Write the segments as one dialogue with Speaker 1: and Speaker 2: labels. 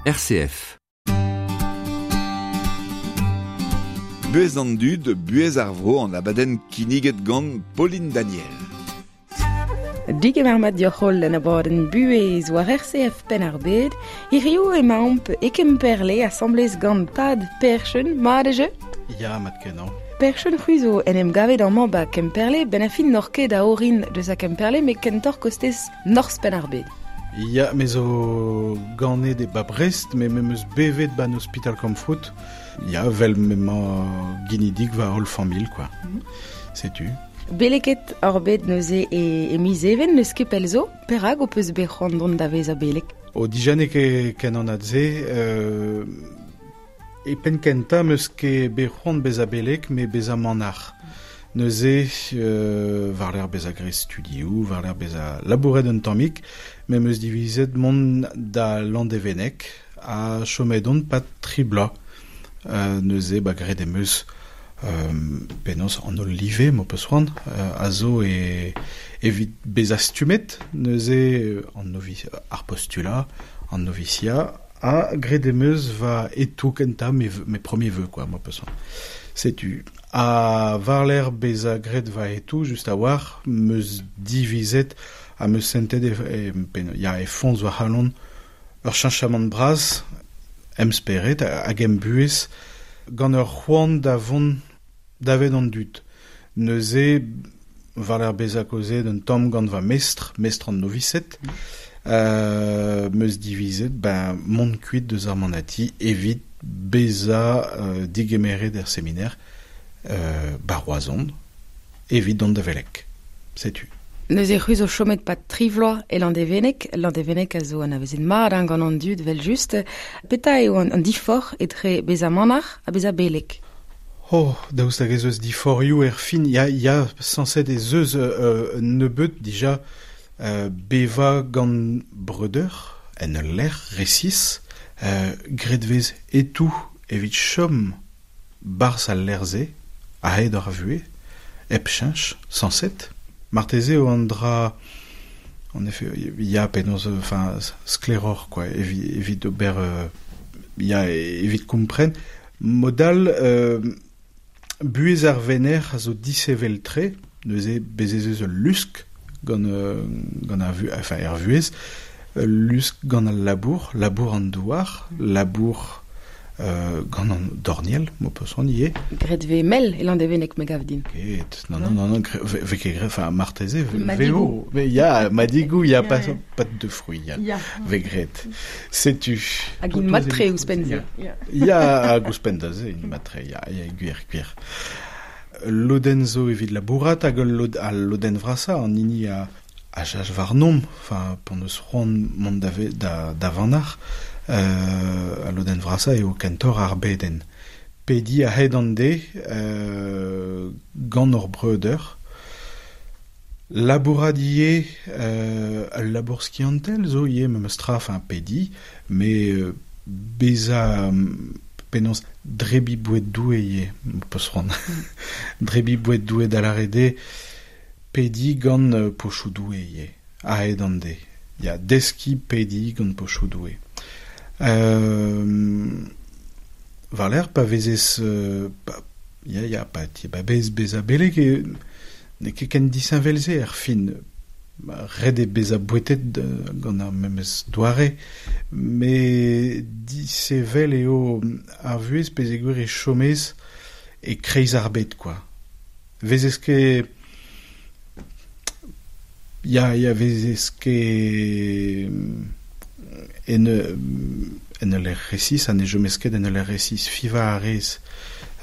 Speaker 1: RCF.
Speaker 2: Buhez an dud, buhez ar vro an abadenn kinniget gant Pauline Daniel.
Speaker 3: Digemer mat dioc'h holl en abadenn buhez war RCF Penn-ar-Bed. Hiziv emaomp e Kemperle asambles gant Tad Perchen, mat e jeu?
Speaker 4: Ya, mat kenañ.
Speaker 3: Perchen c'hwi zo en em gavet amañ ba Kemperle, ben a fin n'oc'h ket a orin deus a Kemperle, met kentoc'h kostez norzh Penn-ar-Bed.
Speaker 4: Ya, me zo ganet e ba Brest, me me meus bevet ban ospital Kamfrout. Ya, vel m'emañ ginidik va holl familh, quoi. Mm -hmm. Setu.
Speaker 3: Beleket ar bet neuze e, e miz Even, n'eus ket pell zo, perak ho peus bet c'hoant dont da vezañ beleg?
Speaker 4: O dija n'eo ket ken anat se. Euh, e penn kentañ 'meus ket bet c'hoant bezañ beleg, met bezañ manac'h. Neuze, war-lerc'h bezañ graet studioù, war-lerc'h bezañ labouret un tammig, me 'm eus divizet mont da Landevenneg ha chomet on 'pad tri bloaz. Neuze, ba graet em eus penaos an holl live, m'ho peus c'hoant, a zo e, evit bezañ stummet. Neuze, an novi, ar postulat, an novisia, ha graet em eus va etoù kentañ, mes, mes premiers vœux, quoi, m'ho peus c'hoant. Setu. Ha war-lerc'h bezañ graet va hetoù, just a-walc'h, 'm eus divizet ha 'm eus sentet e, e, ya, e foñs va c'halon ur cheñchamant bras em spered hag em buhez gant ur c'hoant da vont davet an dud. Neuze, war-lerc'h bezañ kaozeet un tamm gant va mestr, mestr an novised, 'm eus divizet ben, mont kuit deus ar manati evit bezañ digemeret er seminer 'ba Roazhon evit dont da veleg. Setu.
Speaker 3: Neuze c'hwi zo chomet 'pad tri vloaz e Landevenneg. Landevenneg a zo anavezet mat hein, gant an dud, 'vel-just. Petra eo an, an diforc'h etre bezañ manac'h ha bezañ beleg?
Speaker 4: Oh, daoust hag ez eus diforc'hioù er fin? Ya, ya, sañset ez eus un nebeud dija bevañ gant breudeur en ul lec'h resis, graet 'vez hetoù evit chom 'barzh al lec'h-se a-hed ar vuhez, hep cheñch, sañset. Marteze eo an dra en effet ya penaos enfin sklaeroc'h quoi evit ober ya evit kompren. Mod all buhez ar venec'h a zo disheñvel-tre, neuze bez' ez eus ul lusk gant gant ar vu enfin er vuhez, ul lusk gant al labour, labour an douar, labour gant an dorniel, m'ho peus c'hoant ivez.
Speaker 3: Graet 'vez mel e Landevenneg, me gav din.
Speaker 4: Ket, non, non, non, non, 'vez ket graet, enfin marteze, veo, ya, madigoù, ya, pas, pas de fruits, ya, ya. 'vez graet. Setu.
Speaker 3: Hag int mat-tre ouzhpenn-se.
Speaker 4: Ya, hag ouzhpenn da se, int mat-tre, ya, ya, gwir, gwir. Ul lodenn zo evit labourat hag ul lod, al lodenn vrasañ, an hini a, a jach warnomp, enfin, p'hon eus c'hoant mont da, da, da vanac'h, al lodenn vrasañ eo kentoc'h ar bedenn. Pediñ a-hed an deiz gant hor breudeur, Labourat ivez, ul labour skiantel zo ivez memes tra, enfin pediñ, met bezañ penaos drebiñ boued Doue ivez, peus c'hoant. Drebiñ boued Doue da lâret eo pediñ gant pochoù Doue ivez, a-hed an deiz. Ya, deskiñ pediñ gant pochoù Doue. War-lerc'h pa vezez ya ya pa pa vez bezañ beleg eo N'eo ket ken disheñvel-se er fin. Ret eo bezañ bouetet gant ar memes doare, met disheñvel eo ar vuhez peogwir e chomez e-kreiz ar bed kwa. 'Vezez ket... Ya, ya, 'vezez ket en en ul lec'h resis ha ne chomez ket en ul lec'h resis. Fivañ a rez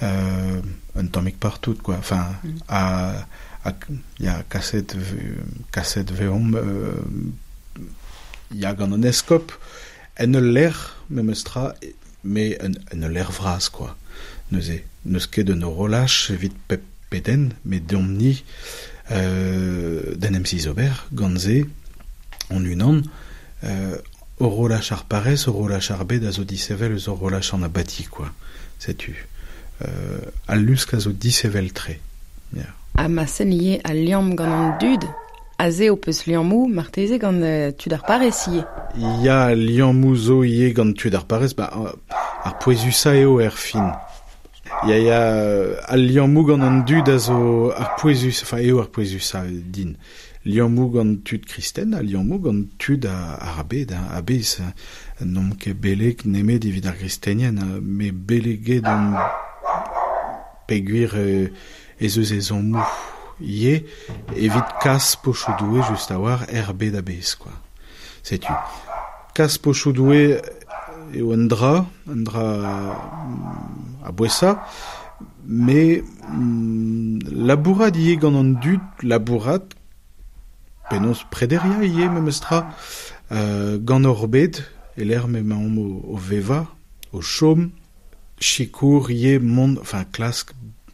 Speaker 4: un tammig partout quoi. Enfin, ha, ha ya, kaset kaset 'veomp ya gant an eskob en ul lec'h memes tra, met en ul lec'h vras quoi. Neuze, n'eus ket un horolaj evit pep pedenn, met deomp-ni d'en em zizober gant se hon-unan. Horolaj ar parrez, horolaj ar bed a zo disheñvel eus horolaj an abati, kwa. Setu. Al lusk a zo disheñvel-tre. Ya.
Speaker 3: Ha ma sen ivez al liamm gant an dud? Aze ho peus liammou marteze gant tud ar parrez ivez.
Speaker 4: Ya, liammou zo ivez gant tud ar parrez, ba, ar pouezusañ eo er fin. Ya, ya, al liammou gant an dud a zo ar pouezus, enfin eo ar pouezusañ din. Liammou gant tud kristen ha liammou gant tud ar bed, hein, a-bezh. N'omp ket beleg nemet evit ar gristenien, met beleget omp peogwir ez eus ezhommoù ivez evit kas pochoù Doue just a-walc'h er bed a-bezh, quoi. Setu. Kas pochoù Doue eo un dra, un dra a-bouesañ, met labourat ivez gant an dud, labourat, penaos prederiañ ivez memes tra, gant hor bed, e-lec'h m'emaomp o vevañ, o chom, sikour ivez mont, enfin klask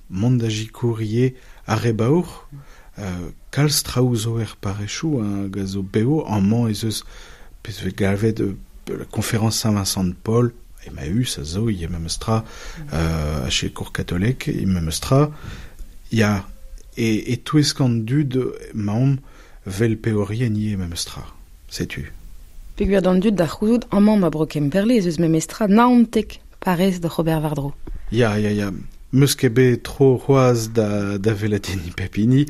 Speaker 4: mont da sikour ivez ar re baour, kalz traoù zo er parrezioù hag a zo bev, amañ ez eus pezh vez galvet la conférence Saint-Vincent de Paul, Emmaüs a zo ivez memes tra, a sikour katolek ivez memes tra, ya, e-touesk an dud emaomp vel peorien ivez memes tra, setu.
Speaker 3: Peogwir d'an dud da c'houzout amañ ma bro Kemperle ez eus memes tra 19 parrez d'oc'h ober war-dro.
Speaker 4: Ya, ya, ya. Meus ket bet tro c'hoazh da welet hini pep hini,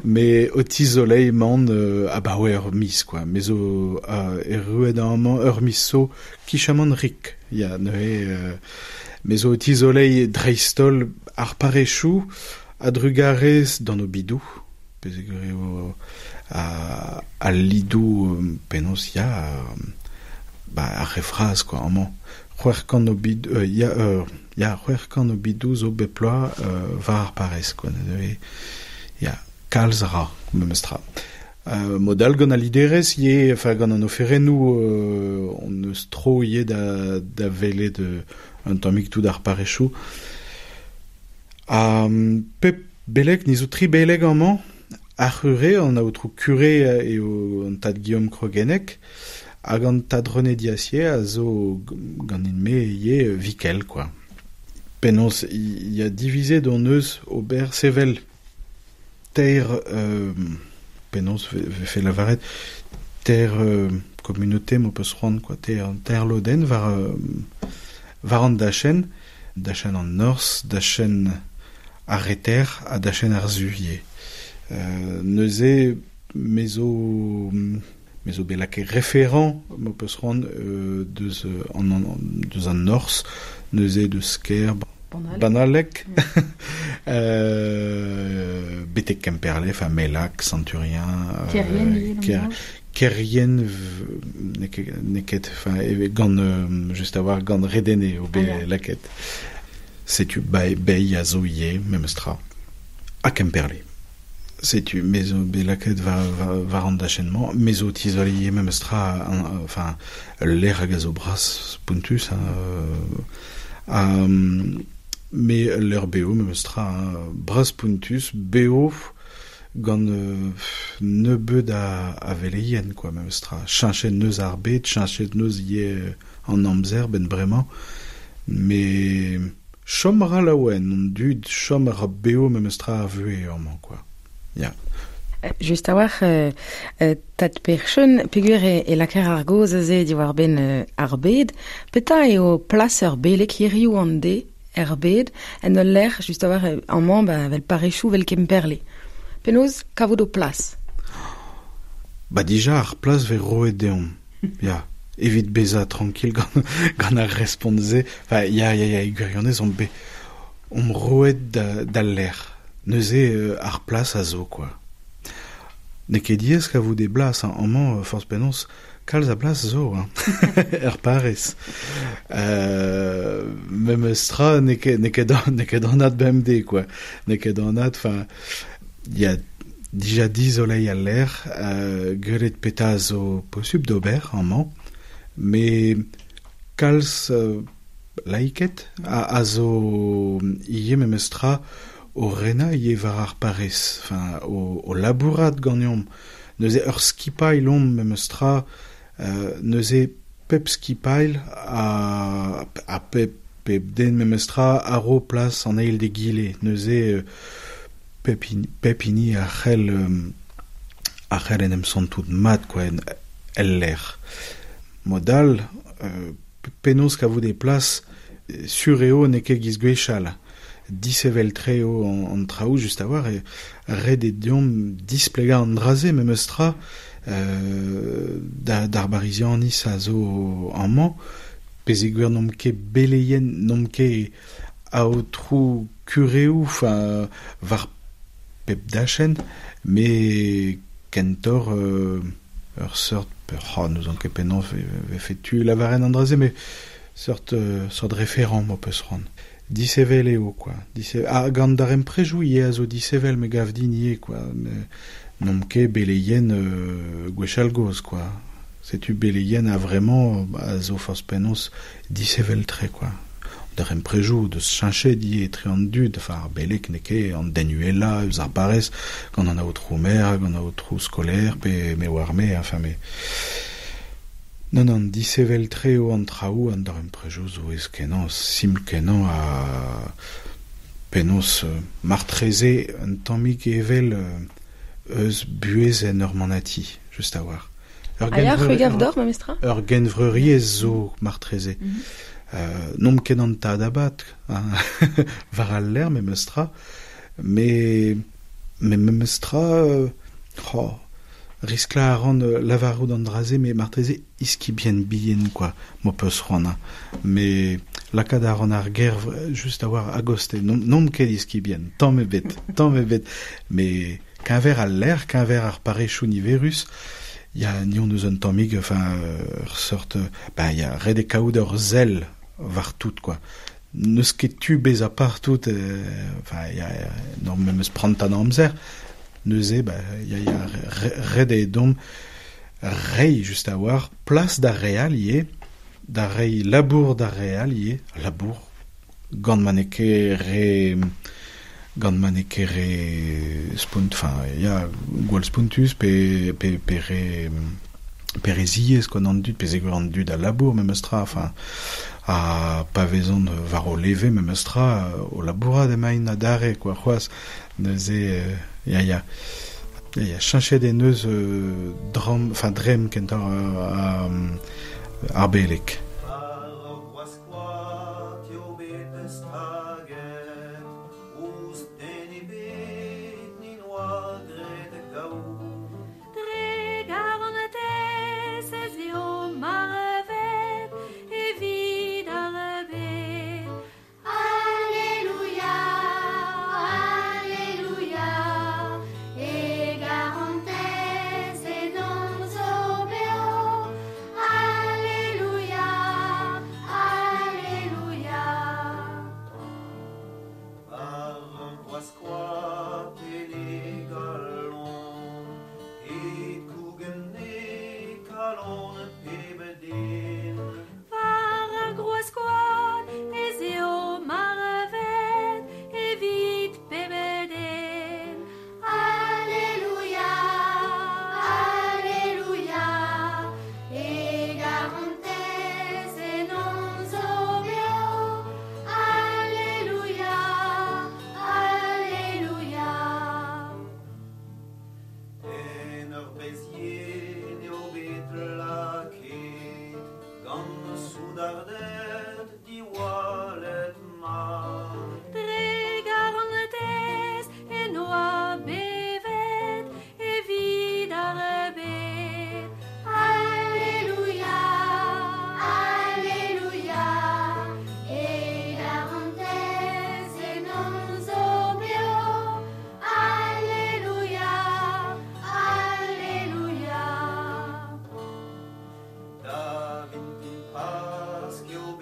Speaker 4: met o tizoleiñ emaon abaoe ur miz, quoi. Me zo erruet amañ ur miz zo kichamant rik. Ya, neuze me zo o tizoleiñ dreist-holl ar parrezioù a-drugarez d'an obidoù, peogwir eo al lidoù penaos ya, ba ar re vras quoi amañ. 600 obid ya ya 600 obidoù zo bep bloaz war ar parrez quoi neuze ya kalz a ra memes tra. Mod all gant al liderezh ivez, enfin gant an oferennoù hon eus tro ivez da welet un tammig tout ar parrezioù. Ha pep beleg, ni zo tri beleg amañ, ar c'hure, an aotrou kure eo an tad Guillaume Croguennec, hag an tad René Diassier a zo ganin-me ivez vikel, quoi. Penaos ya divizet hon eus ober sevel teir penaos vefe lavaret teir communauté m'ho peus c'hoant, quoi, teir lodenn war an dachenn, dachenn an norzh, dachenn ar reter ha dachenn ar su ivez. Neuze me zo me zo bet lakaet référent m'ho peus c'hoant deus an norzh, neuze deus kêr Banaleg, betek Kemperle, enfin Melac, Santurien, Kerrien, n'eo ket, enfin gant just a-walc'h gant Redene eo bet lakaet. Setu Bei a zo ivez memes tra, ha Kemperle. Setu me zo bet lakaet war an dachenn-mañ, me zo tizoleiñ ivez memes tra, enfin ul lec'h hag a zo bras spontus, hein, me ul lec'h bev memes tra, bras spontus, bev gant nebeut a veleien, quoi, memes tra. Cheñchet neus ar bed, cheñchet neus ivez an amzer benn bremañ, met chom a ra laouen an dud, chom a ra bev memes tra ar vuhez amañ, quoi. Ya.
Speaker 3: Just a-walc'h, tad Percheun, peogwir e lakaer ar gaoz aze diwar-benn ar bed, petra eo plas ur beleg hiriv an deiz er bed, en ul lec'h, just a-walc'h, amañ, ba, vel parrezioù, vel Kemperle. Penaos kavout ho plas?
Speaker 4: Ba dija ar plas vez roet deomp, ya. Evit bezañ tranquil gant ar respont-se, enfin, ya, ya, ya, e gwirionez omp bet omp roet d'al lec'h. Neuze ar plas a zo, quoi. N'eo ket diaes kavout e blas, hein. Amañ, forzh penaos, kalz a blas zo, hein, er parrez. Memes tra, n'eo ket anat bemdez, quoi. N'eo ket anat, enfin, ya, dija dizoleiñ al lec'h, gwelet petra a zo posubl d'ober amañ, met kalz laiked a zo ivez memes tra o renañ ivez war ar parrez, enfin, o labourat ganeomp. Neuze ur skipailh omp memes tra, neuze pep skipailh ha pep den memes tra a ro plas an eil d'egile. Neuze pep hini a c'hell a c'hell en em santout mat, quoi, en el lec'h. Modal, penaos kavout e plas sur eo n'eo ket giz gwechall. Disevel tre eo an traoù just a-walc'h e ret eo deomp displegañ an dra-se memes tra d'ar barizianiz a zo amañ, pezeogwir n'omp ket beleien, n'omp ket aotrou kureoù, enfin, war pep dachenn, met kentoc'h ur seurt, oh, n'ouzon ket penaos vefe tu lavaren an dra-se, met seurt référent m'ho peus c'hoant. Disevel eo, quoi. Ah, gant daremprejoù ivez a zo disevel me gav din ivez, quoi. N'omp ket beleien gwechall gozh, quoi. Setu beleien a vraiment a zo forzh penaos disevel-tre, quoi. Daremprejoù deus cheñchet ivez etre an dud, enfin ar beleg n'eo ket an den uhelañ eus ar barrez, gant an aotrou maer, gant an aotrou skolaer, pe me oar me, enfin me... Non, non, disevel-tre eo an traoù, an daremprejoù zo aes-kenañ, simpl-kenañ ha penaos martreze un tammig evel eus buhez en ur manati, just a-walc'h.
Speaker 3: Ur Ha ya, c'hwi gav deoc'h memestra?
Speaker 4: Ur genvreuriezh zo martreze. N'omp ket an tad abad, war al lec'h memestra, met memestra, oh, risklañ a ran lavarout an dra-se, met martreze iskibien bihan, quoi, m'ho peus c'hoant. Met lakaat a ran ar ger just a-walc'h a-gostez. N'omp ket iskibien, tamm ebet, tamm ebet. Met keñver al lec'h, keñver ar parrezioù niverus, ya, ni hon eus un tammig, enfin, ur seurt, ben, ya, ret eo kaout ur sell war tout, quoi. N'eus ket tu bezañ partout, enfin, ya, n'hor memes prantad amzer. Neuze, ba, ya, ya, ret eo deomp reiñ just a-walc'h plas d'ar re all ivez, da reiñ labour d'ar re all ivez, labour gant ma n'eo ket re, gant ma n'eo ket re spont, enfin, ya, gwall spontus pe, pe, pe re, pe re ziaes, quoi, d'an dud, pezeogwir an dud a labour memes tra, enfin, ha pa vezont war o leve memes tra, o labourat emaint adarre, quoi, c'hoazh. Neuze, ya, ya, ya, ya, cheñchet en deus dramm, enfin, dremm kentañ ar beleg.
Speaker 1: Dre garantez ez eo marvet evit ar bed. Alleluia, Alleluia, e garantez ennomp zo beo. Alleluia, Alleluia.
Speaker 5: War ur groaz koad en e galon, e kougen e kalon peb den.
Speaker 1: War ar groaz koad ez eo marvet evit peb den.
Speaker 6: Alleluia, Alleluia, e garantez ennomp zo beo. Alleluia, Alleluia.
Speaker 5: En ur bez yen eo bet lakaet gant soudarded diwallet mat.
Speaker 1: Dre garantez en oa bevet evit ar bed.
Speaker 6: Alleluia, Alleluia, e garantez ennomp zo beo. Alleluia, Alleluia.
Speaker 5: Da vintin Pask eo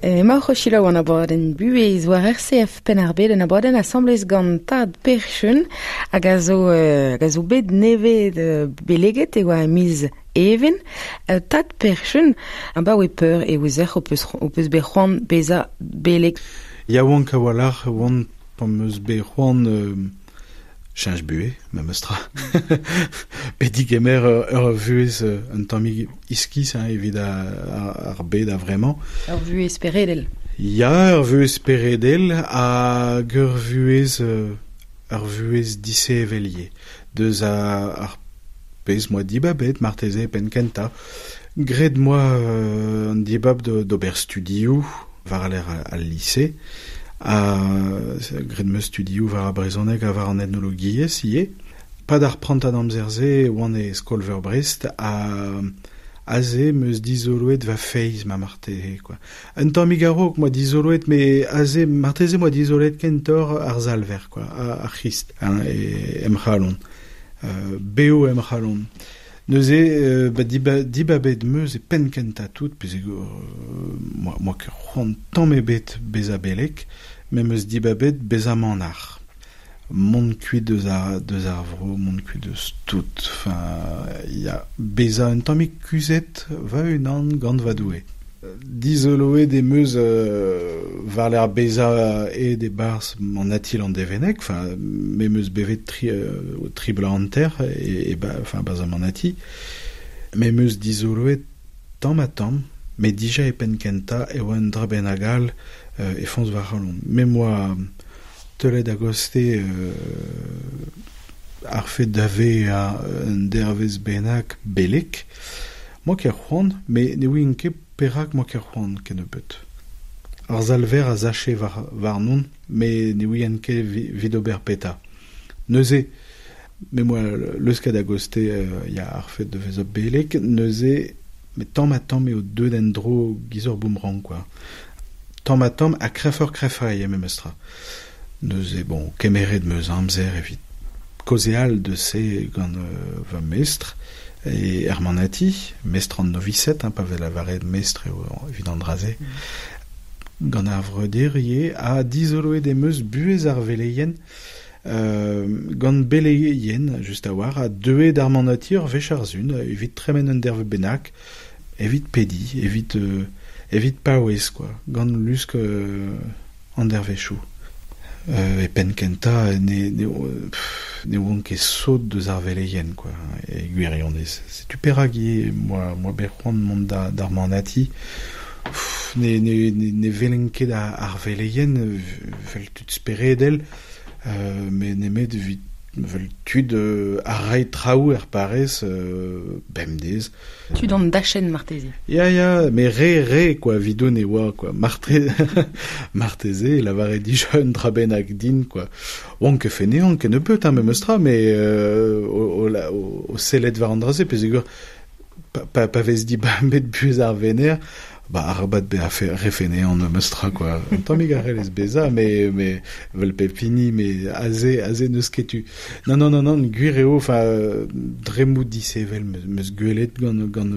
Speaker 3: Emaoc'h o selaou an abadenn buhez war RCF Penn-ar-Bed, un abadenn asambles gant tad Per Cheun hag a zo, hag a zo bet nevez beleget e oa e miz Even. Tad Per Cheun, abaoe peur e ouezec'h ho peus, ho peus bet c'hoant bezañ beleg?
Speaker 4: Yaouank a-walc'h e oan pa 'm eus bet c'hoant cheñch buhez, memes tra. Bet digemer ur vuhez un tammig iskis hein, evit ar bed a-vremañ.
Speaker 3: Ur vuhez speredel.
Speaker 4: Ya, ur vuhez speredel hag ur vuhez disheñvel ivez. Deus ar pezh 'moa dibabet marteze e penn kentañ. Graet 'moa an dibab d'ober studioù war-lerc'h al lise. Ha graet 'm eus studioù war ar brezhoneg ha war an etnologiezh ivez. Pad ar prantad amzer-se e oan e skol-veur Brest ha aze 'm eus dizoloet va feiz ma marteze quoi. Un tammig a-raok 'moa dizoloet met aze marteze 'moa dizoloet kentoc'h ar Salver quoi, ar C'hrist hein, em c'halon. Bev em c'halon. Neuze ba dibabet 'm eus e penn kentañ tout peogwir 'moa ket c'hoant tamm ebet bezañ beleg, me 'm eus dibabet bezañ manac'h. Mont kuit deus ar deus ar vro, mont kuit deus tout, enfin ya, bezañ un tammig kuzhet va-unan gant va Doue. Dizoloet em eus war-lerc'h bezañ aet e-barzh manati Landevenneg, enfin me 'm eus bevet tri, tri bloaz hanter e, enfin barzh ar manati. Me 'm eus dizoloet tamm-ha-tamm, met dija e penn kentañ e oa un dra bennak all e foñs va c'halon. Me 'm boa teulet a-gostez ar fed da vezañ un dervezh bennak beleg. 'Moa ket c'hoant, met ne ouien ket perak 'moa ket c'hoant kennebeut. Ar salver a sache war warnon, met ne ouien ket evit ober petra. Neuze, me 'moa leusket a-gostez ya ar fed da vezañ beleg, neuze met tamm-ha-tamm eo deuet en-dro giz ur boomerang quoi. Tamm-ha-tamm ha kreñvoc'h-kreñvañ eo memes tra. Neuze, bon, kemeret 'm eus amzer evit kaozeal deus se gant va mestr e er manati, mestr an novised, hein, pa vez lavaret mestr eo evit an dra-se. Gant ar vreudeur ivez, ha dizoloet em eus buhez ar veleien gant beleien, just a-walc'h, ha deuet d'ar manati ur wech ar sun evit tremen un derv bennak, evit pediñ, evit evit paouez quoi, gant lusk an dervezhioù. E penn kentañ ne ne ne oan ket sot deus ar veleien quoi, e gwirionez. Setu perak ivez 'moa 'moa bet c'hoant mont da d'ar manati. Ne ne ne welen ket ar veleien 'vel tud speredel, met nemet evit 'vel tud a rae traoù er parrez bemdez.
Speaker 3: Tud an dachenn marteze.
Speaker 4: Ya, ya, met re, re, quoi, evidon e oa, quoi. Marte marteze e lavare dija un dra bennak din, quoi. Oan ket feneant kennebeut, hein, memes tra, met o, o, o sellet war an dra-se, peogwir pa, pa vez dibabet buhez ar vener, ba arabat bezañ re feneant memes tra, quoi. Un tammig a c'hellez bezañ, met, met 'vel pep hini, met aze, aze n'eus ket tu. Non, non, non, non, gwir eo, enfin, dremmoù disheñvel 'm eus gwelet gant, gant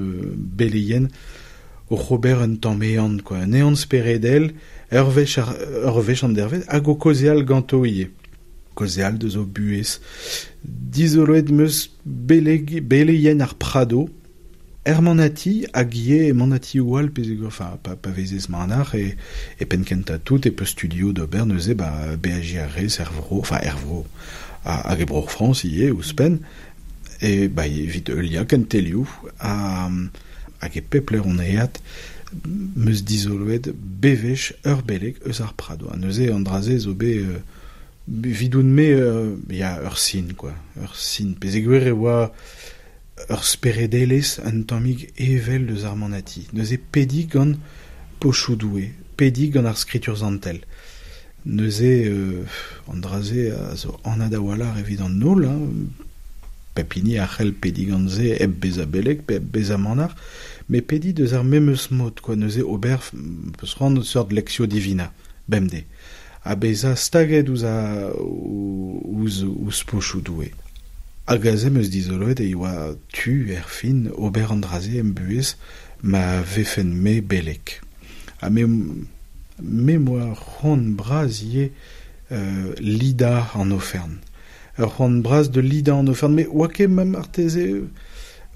Speaker 4: beleien oc'h ober un tamm ehan, quoi. Un ehan speredel, ur wech ar, ur wech an dervezh, hag o kaozeal ganto ivez. Kaozeal deus o buhez. Dizoloet 'm eus beleg, beleien ar Prado, er manati hag ivez e manatioù all peogwir enfin pa, pa vezez manac'h e, e penn kentañ tout e peus studioù d'ober neuze ba beajiñ a rez er vro, enfin er vro hag e Bro-Frañs ivez ouzhpenn e ba evit heuliañ kentelioù ha hag e pep lec'h on aet 'm eus dizoloet bewech ur beleg eus ar Prado ha neuze an dra-se zo bet evidoun-me ya ur sin quoi, ur sin peogwir e oa ur speredelezh un tammig evel eus ar manati. Neuze pediñ gant pochoù Doue, pediñ gant ar skritur santel. Neuze an dra-se a zo anat a-walc'h evit an holl, hein. Pep hini a c'hell pediñ gant se hep bezañ beleg pe hep bezañ manac'h, met pediñ deus ar memes mod quoi. Neuze ober peus c'hoant seurt lectio divina bemdez. Ha bezañ staget ouzh a, ouzh, ouzh pochoù Doue. Hag aze 'm eus dizoloet e oa tu, erfin, ober an dra-se em buhez ma vefen-me beleg. Ha me Me moa c'hoant bras ivez lida an ofern. Ur c'hoant bras de lida an ofern, me oa ket ma marteze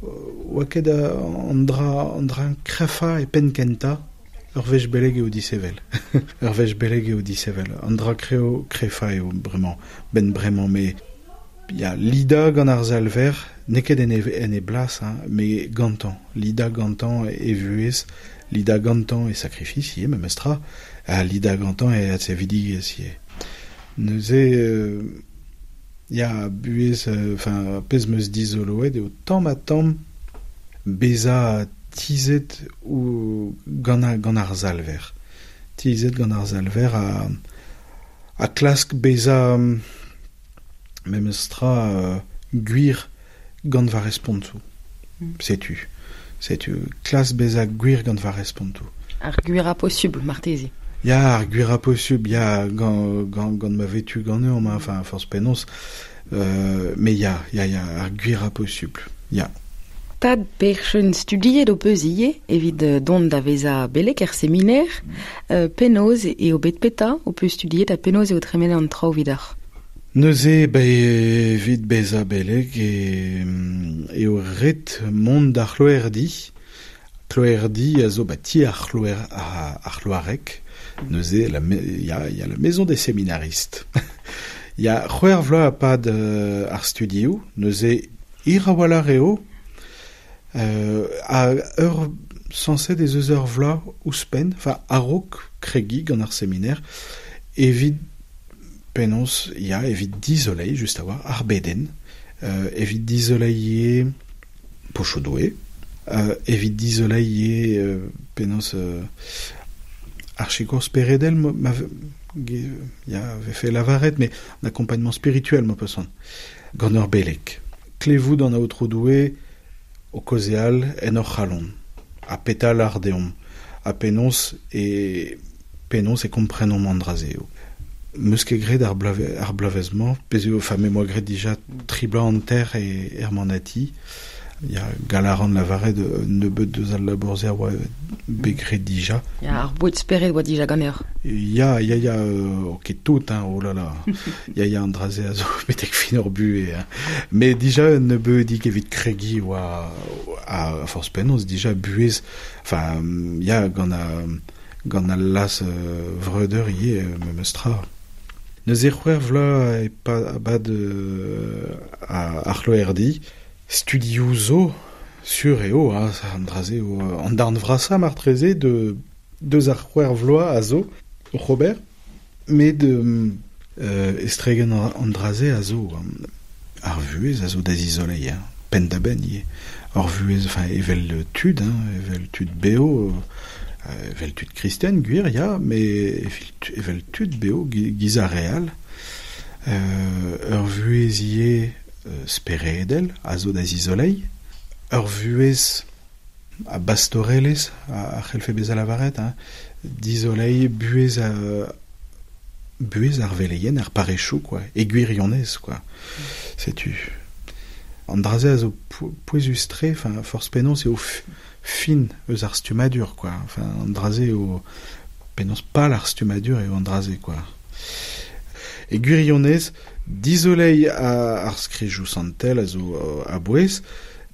Speaker 4: oa ket an dra krefa e penn kenta. Ur wech beleg eo disevel. Ur wech beleg eo disevel. An dra kreo krefa eo bremañ, ben bremañ, me ya lida gant ar zalver, n'eo ket en e blas, hein, me gantañ. Lida gantañ e vuhez, lida gantañ e sakrifis ivez, memestra, ha lida gantañ e adsevidigezh ivez. Neuze, ya buhez, enfin, pezh meus dizoloet eo tamm ha tamm bezañ tizet ou gant ar zalver. Tizet gant ar zalver a klask bezañ memestra gwir gant va respontoù. Setu. Klask bezañ gwir gant va respontoù.
Speaker 3: Ar gwir a posubl, marteze.
Speaker 4: Ya, ar gwir a posubl, ya, gant ma vetu ganeomp, enfin, force penaos, mais ya, ar gwir a posubl, ya.
Speaker 3: Tad perchen studiet o peus ivez evit dont da vezañ beleg er seminer, penaos eo bet peta o peus studiet ha penaos eo tremenet an traoù vidoc'h?
Speaker 4: Neuze, evit bezañ beleg eo ret mont d'ar c'hloerdi. C'hloerdi a zo ba ti ar c'hloareg. Neuze, ya la maison des séminaristes. Ya c'hwec'h vloaz pad ar studioù. Neuze, hir a-walc'h eo. A ur sañset ez eus ur vloaz ouzhpenn, enfin a-raok kregi gant ar seminer, evit penaos, ya, evit dizoleiñ, just a-walc'h, ar bedenn, evit dizoleiñ pochoù-doue, evit dizoleiñ penaos ar sikour speredel, ya, vefe lavaret, mais un accompagnement spirituel, ma peus gant ur beleg. Klevout an aotrou-Doue o kaozeal en hor c'halon, ha petal ar deomp, ha penaos e komprenomp an dra-se eo. Meus ket graet ar bloavezh-mañ, pezh eo, enfin, me moa graet dija tri bloaz hanter e er manati. Ya, galaran lavaret nebeut deus al labour-se a oa bet graet dija.
Speaker 3: Ya, ar boued spered oa dija ganeoc'h.
Speaker 4: Ya, ok tout, hein, oh là là. Ya, an dra-se a zo betek fin ur buhez. Hein. Mais dija nebeudig evit kregi oa a forz penaos dija buhez, enfin, ya, gant al las vreudeur ivez memestra. Neuze c'hwec'h vloaz e bad ar c'hloerdi. Studioù zo, sur eo, hein, an dra-se eo, an darn vrasañ martreze de deus ar c'hwec'h vloaz a zo, Robert, met estregen an dra-se a zo, ar vuhez a zo da zizoleiñ, hein, penn-da-benn ivez. Ar vuhez, enfin, evel tud, hein, evel tud beo, evel tud kristen, gwir, ya, met evel tud beo, giz ar re all. Ur vuhez ivez speredel a zo da zizoleiñ, ur vuhez a bastorelezh a c'hellfe bezañ lavaret, hein, dizoleiñ buhez ar veleien, ar parrechoù, quoi, e gwirionez, quoi. Setu. An dra-se a zo pouezus-tre, enfin, forzh penaos eo fin eus ar stummadur, quoi. Enfin, an dra-se eo penaos pal ar stummadur eo an dra-se, quoi. E gwirionez, dizoleiñ ar skrijoù santel a zo a-bouez,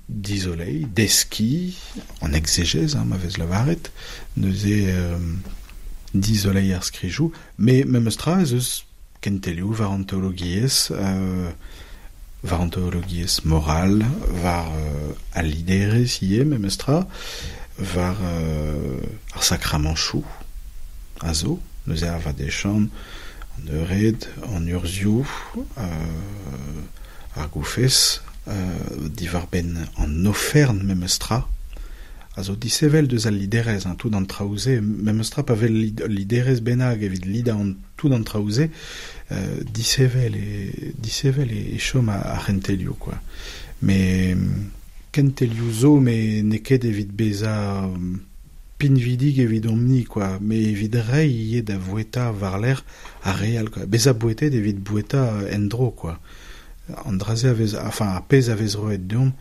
Speaker 4: dizoleiñ, deskiñ, an exégèse, hein, ma vez lavaret, neuze dizoleiñ ar skrijoù, mais memestra ez eus kentelioù war an teologiezh, moral, war al liderezh ivez memestra, war ar sakramanchoù a zo, neuze ar vadechan, an eured, an urzhioù, ar goufez, diwar-benn an ofern memestra, a zo disevel deus al liderezh, hein, tout an traoù-se, memestra pa vel liderezh bennak evit lidañ an tout an traoù-se, disevel e chom ar c'hentelioù, quoi. Mais kentelioù zo, mais n'eo ket evit bezañ pinvidig evidomp-ni, quoi, mais evit reiñ ivez da voueta war-lerc'h ar re all, quoi. Bezañ bouetet evit boueta en-dro, quoi. An dra-se a vez, enfin, ar pezh a vez roet deomp,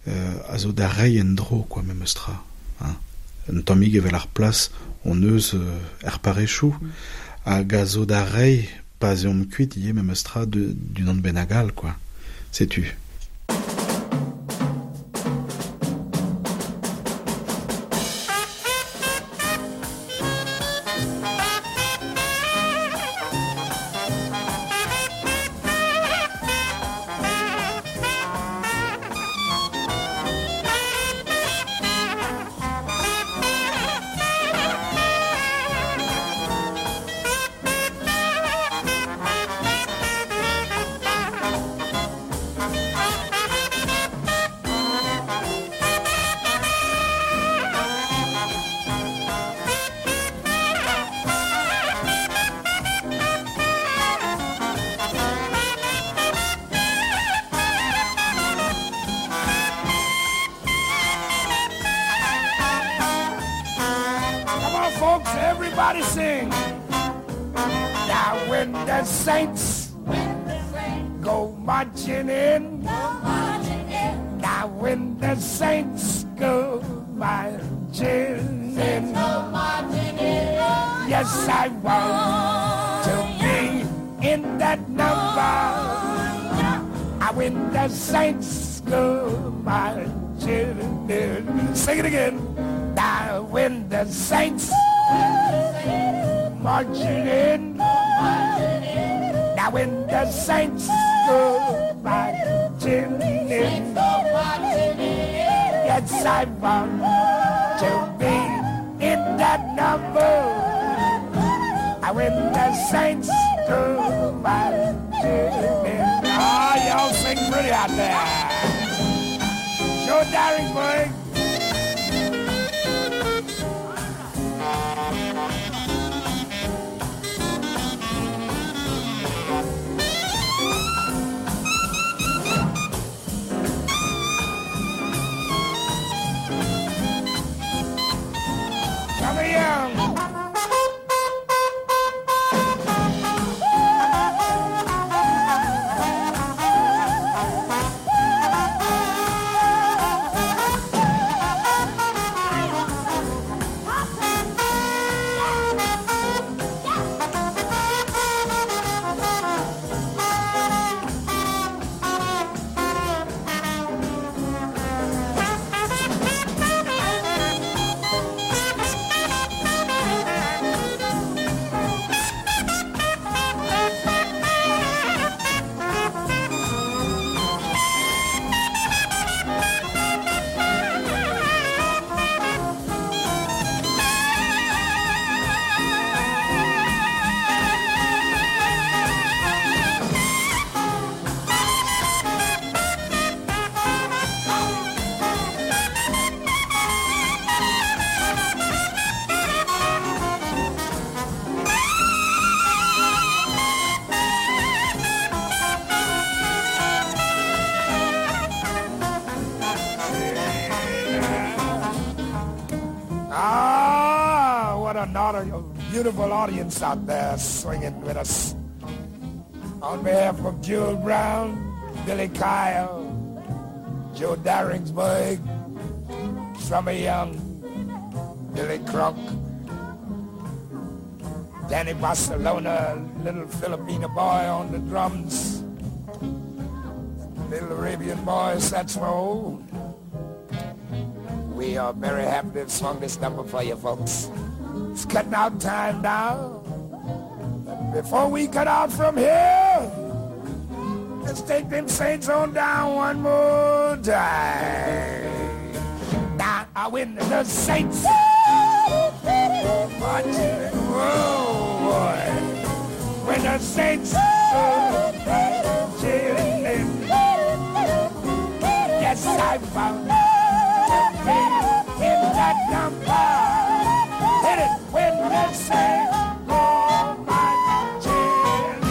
Speaker 4: a zo da reiñ en-dro, quoi, memestra, hein. Un tammig evel ar plas hon eus er parechou, hag a zo da rei pa 'z eomp kuit ivez memes tra d'unan bennak all, quoi. Setu.
Speaker 7: Come on, folks, everybody sing. Now when the saints go marching in, now when the saints go marching in, yes, I want to be in that number. I when the saints go marching in. Sing it again. Now when the saints marching in, now when the saints go marching in, yes, I want to be in that number. I when the saints go marching in. Ah, y'all sing pretty out there. Joe Darensbourg. Come here. Ah, what a beautiful audience out there swinging with us. On behalf of Jewel Brown, Billy Kyle, Joe Darensbourg, Summer Young, Billy Crunk, Danny Barcelona, little Filipino boy on the drums, little Arabian boy saxophone. We are very happy to have swung this number for you folks. It's cutting out time now. But before we cut out from here, let's take them saints on down one more time. Now I win the saints. Marching, oh boy. When the saints go marching in, yes, I found to be in that number. Hit it when the saints go marching in.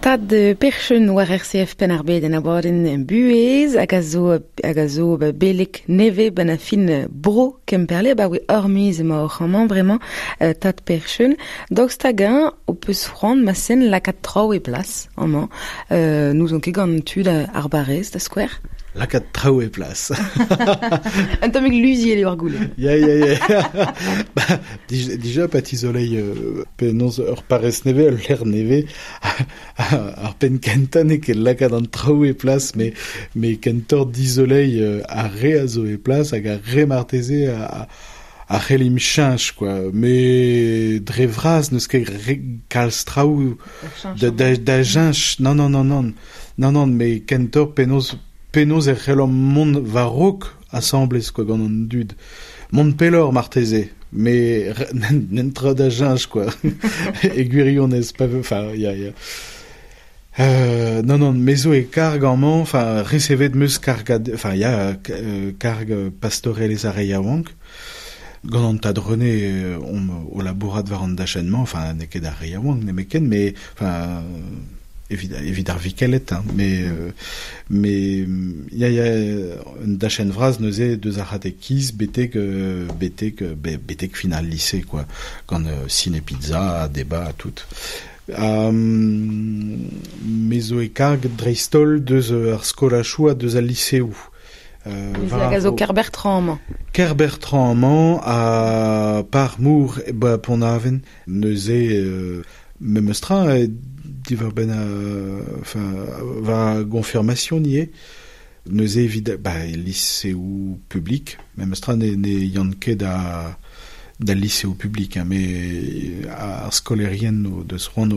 Speaker 3: Tad Percheun war RCF Penn-ar-Bed en abadenn buhez hag a zo hag a zo beleg nevez ben a fin bro Kemperle ba oe ur miz emañ oc'h amañ bremañ Tad Percheun. Daoust hag-eñ ho peus c'hoant ma sen lakaat traoù e plas amañ. N'ouzon ket gant tud ar barrez da skouer.
Speaker 4: Lakaat traoù e plas.
Speaker 3: Un tammig luziet eo ar goulenn.
Speaker 4: Ya, ya, ya. Ba, dija pa tizolei penaos ur parrez nevez, ul lec'h nevez, ar penn kentañ n'eo ket lakaat an traoù e plas, me kentoc'h dizolei ar re a zo e plas hag ar re marteze a c'hellimp cheñch, quoi. Me dre vras n'eus ket re kalz traoù da cheñch. Non, non, non, non. Non, non, me kentoc'h penaos e c'hellomp mont war-raok asambles, quoi, gant an dud. Mont pelloc'h marteze, me n'en tra da cheñch, quoi. E gwirionez, pa enfin, ya, ya. Non, non, me zo e karg amañ, enfin, resevet 'm eus kargad, enfin, ya, karg pastorelezh ar re yaouank. Gant an tad René omp o labourat war an dachenn-mañ, enfin, n'eo ket ar re yaouank nemetken, mais, enfin, evit ar vikelet, hein, mais ya, ya, un dachenn vras neuze deus ar c'hatekiz betek fin al lycée, quoi, gant ciné pizza, débat, tout. Me zo e karg dreist-holl deus ar skolachoù ha deus al liseoù.
Speaker 3: Hag a zo Kerbertrand amañ.
Speaker 4: Kerbertrand amañ ha Parmour e ba Pont-Aven. Neuze memes tra diwar-benn enfin war gonfirmation ivez. Neuze evit ba liseoù publik, memes tra ne yann ket da liseoù publik, hein, mais ar skolerien o deus c'hoant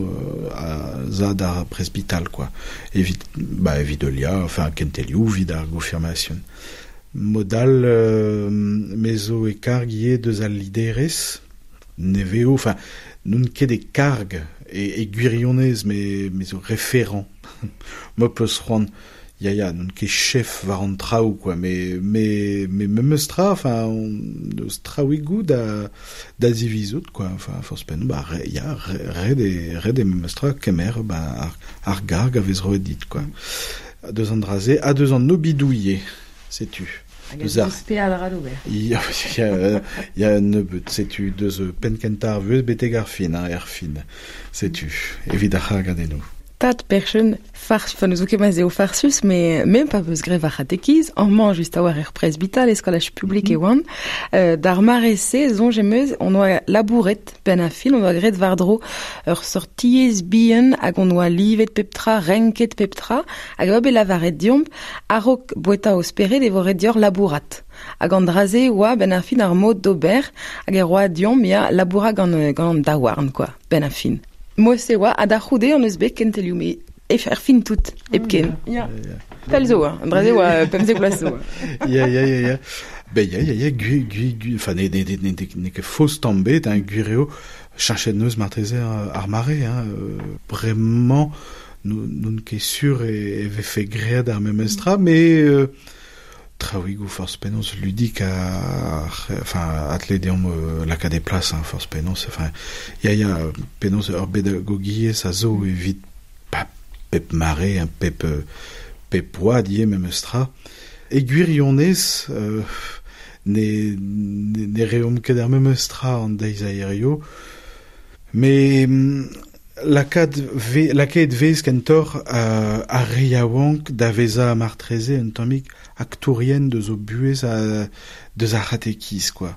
Speaker 4: a za d'ar presbital, quoi. Evit, ba, evit heuliañ, enfin, kentelioù, evit ar gonfirmation. Modal me zo e karg ivez deus al liderezh, nevez, enfin, n'on ket e karg e gwirionez, me zo référent. Ma peus c'hoant, ya, ya, n'on ket chef war an traoù, quoi, mais memes tra, enfin, on eus traouigoù da zivizout, quoi, enfin, forzh penaos, ba, re, ya, re, ret eo memes tra kemer, ba, ar garg a vez roet dit, quoi. Deus an dra-se, ha deus an obidoù ivez, setu.
Speaker 3: Hag
Speaker 4: Deus
Speaker 3: a
Speaker 4: ar
Speaker 3: deus peadra d'ober.
Speaker 4: Ya, ya, ya, un nebeud, setu, deus penn kentañ ar vuhez betek ar fin, hein, er fin, setu, evit ar c'hargadennoù.
Speaker 3: Tad Perchen, fars, enfin, n'eus ket ma'z eo farsus, mais même pa peus graet war c'hatekiz, amañ just a-walc'h er presbital e skolaj publik e oan, d'ar mare-se, soñj em eus, on oa labouret penn ar fin, on oa graet war-dro ur seurt tiez bihan hag on oa livet pep tra, renket pep tra, hag a oa bet lavaret deomp, a-raok boueta o spered e vo ret deoc'h labourat. Hag an dra-se oa benn ar fin ar mod d'ober, hag e roa deomp, ya, labourat gant an daouarn, quoi, benn ar fin. Mod-se oa, ha da c'houde on eus bet kentelioù, mais er fin tout, hepken. Ya. Pell zo, hein. An dra-se oa 15 vloaz zo.
Speaker 4: Ya, ya, ya, ya. Ben, ya, ya, ya, gui, gui, gui, enfin, ne, ne, ne, ne, ne ket faos tamm bet, hein, gwir eo, cheñchet neus marteze ar mare, hein, bremañ, n'on ket sur e vefe graet ar memes tra, mais traouigoù forzh penaos ludik a, enfin, atle deomp lakaat e plas, hein, forzh penaos, enfin, ya, ya, penaos ur bedagogiezh a zo evit pa, pep mare, hein, pep oad ivez memes tra. E gwirionez, ne reomp ket ar memes tra an deiz a hirio, mais lakaet vez kentoc'h ar re yaouank da vezañ martreze un tammig aktourien deus o buhez a, deus ar c'hatekiz, quoi.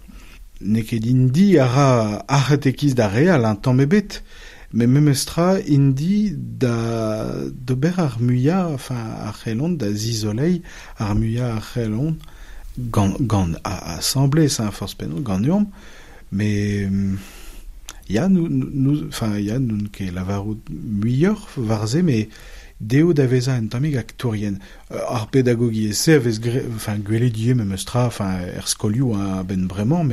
Speaker 4: N'eo ket indi a ra ar c'hatekiz d'ar re all, un tamm ebet, mais memes tra indi da d'ober ar muiañ, enfin, ar c'hellont, da zizoleiñ ar muiañ ar c'hellont gant asambles, hein, forzh penaos, ganeomp, mais ya, nou, nou, enfin, ya, n'on ket lavarout muioc'h war-se, mais dezho da vezañ un tammig aktourien. Ar pedagogiezh-se a vez enfin, gwelet ivez memes tra, enfin, er skolioù, hein, a-benn bremañ,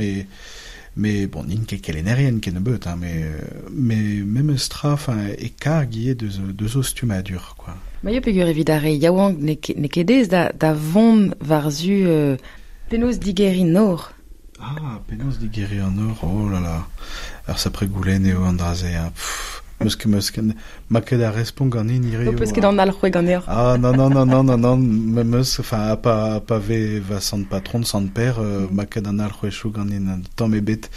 Speaker 4: mais bon, n'int ket kelennerien kennebeut, hein, mais memes tra, enfin, e karg ivez deus o stummadur, quoi.
Speaker 3: Ma yo peogwir evit ar re yaouank n'eo ket aes da vont war-zu penaos digeriñ nor.
Speaker 4: Ah, penaos digeriñ an nor, oh là là. Ar sapre goulenn eo an dra-se, hein. Pff, meus ket, ma ket ar respont ganin hirio,
Speaker 3: Ho peus ket
Speaker 4: hein.
Speaker 3: an alc'hwez ganeoc'h.
Speaker 4: Ah, non, non, non, non, non, non, me meus, enfin, a pa ve va sant patron, sant père, ma ket an alc'hwezioù ganin, un tamm ebet.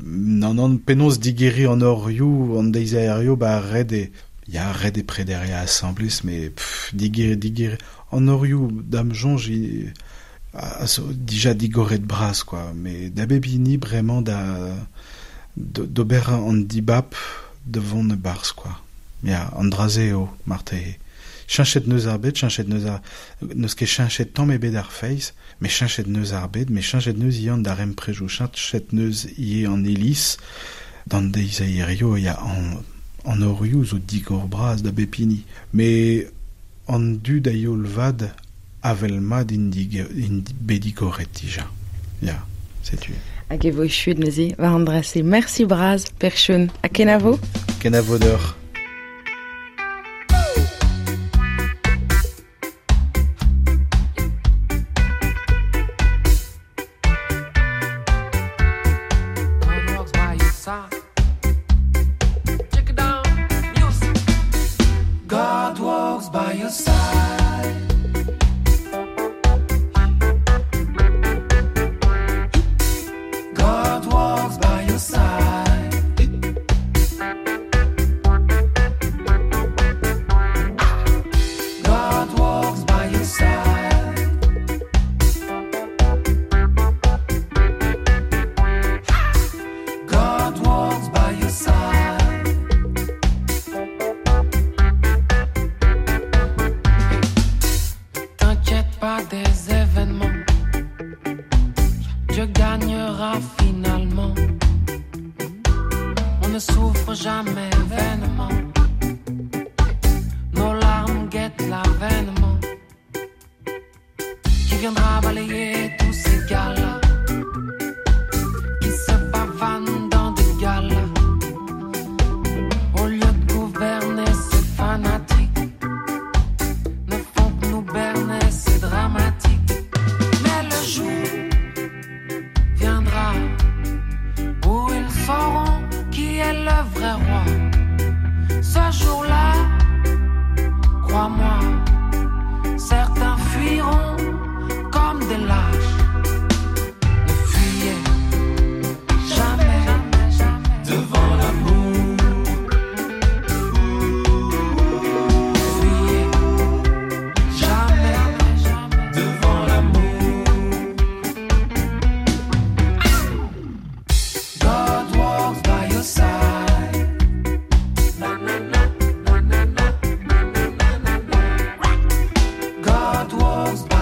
Speaker 4: Non, non, penaos digeriñ an orioù, an deiz a hirio, ba ret e, Ya, red e prederia assemblés, me pff, digir, an orioù dam jonj a zo dija digoret bras, quoi. Me da bep hini bremañ da d'ober an dibab de vont barz, quoi. Ya, an dra-se eo, marteze. Cheñchet neus ar bed, cheñchet neus ar... N'eus ket cheñchet tamm ebet ar feiz, met cheñchet neus ar bed, met cheñchet neus ivez an darempredoù, cheñchet neus ivez an iliz, d'an deiz a hirio, ya, an orioù zo digor bras da bep hini. Met an dud a youl vat avel mat int bet digoret dija. Ya, setu.
Speaker 3: Hag e vo echuet neuze war an dra-se. Mersi bras, Pêr-Cheun. Ha kenavo.
Speaker 4: Kenavo deoc'h.
Speaker 5: God walks by your side. God walks by your side. God walks by your side. God walks by your side.
Speaker 8: T'inquiète pas des événements, Dieu gagnera finalement. On ne souffre jamais vainement, nos larmes guettent l'avènement qui viendra balayer tous ces gars-là qui se pavanent dans des galas. Au lieu de gouverner ces fanatiques, ne font que nous berner, c'est dramatique. Mais le jour viendra où ils sauront qui est le vrai roi. Ce jour-là, crois-moi, certains fuiront comme des lâches. Ne fuyez jamais
Speaker 5: devant l'amour.
Speaker 8: Fuyez jamais
Speaker 5: devant l'amour. God walks by your side. God walks by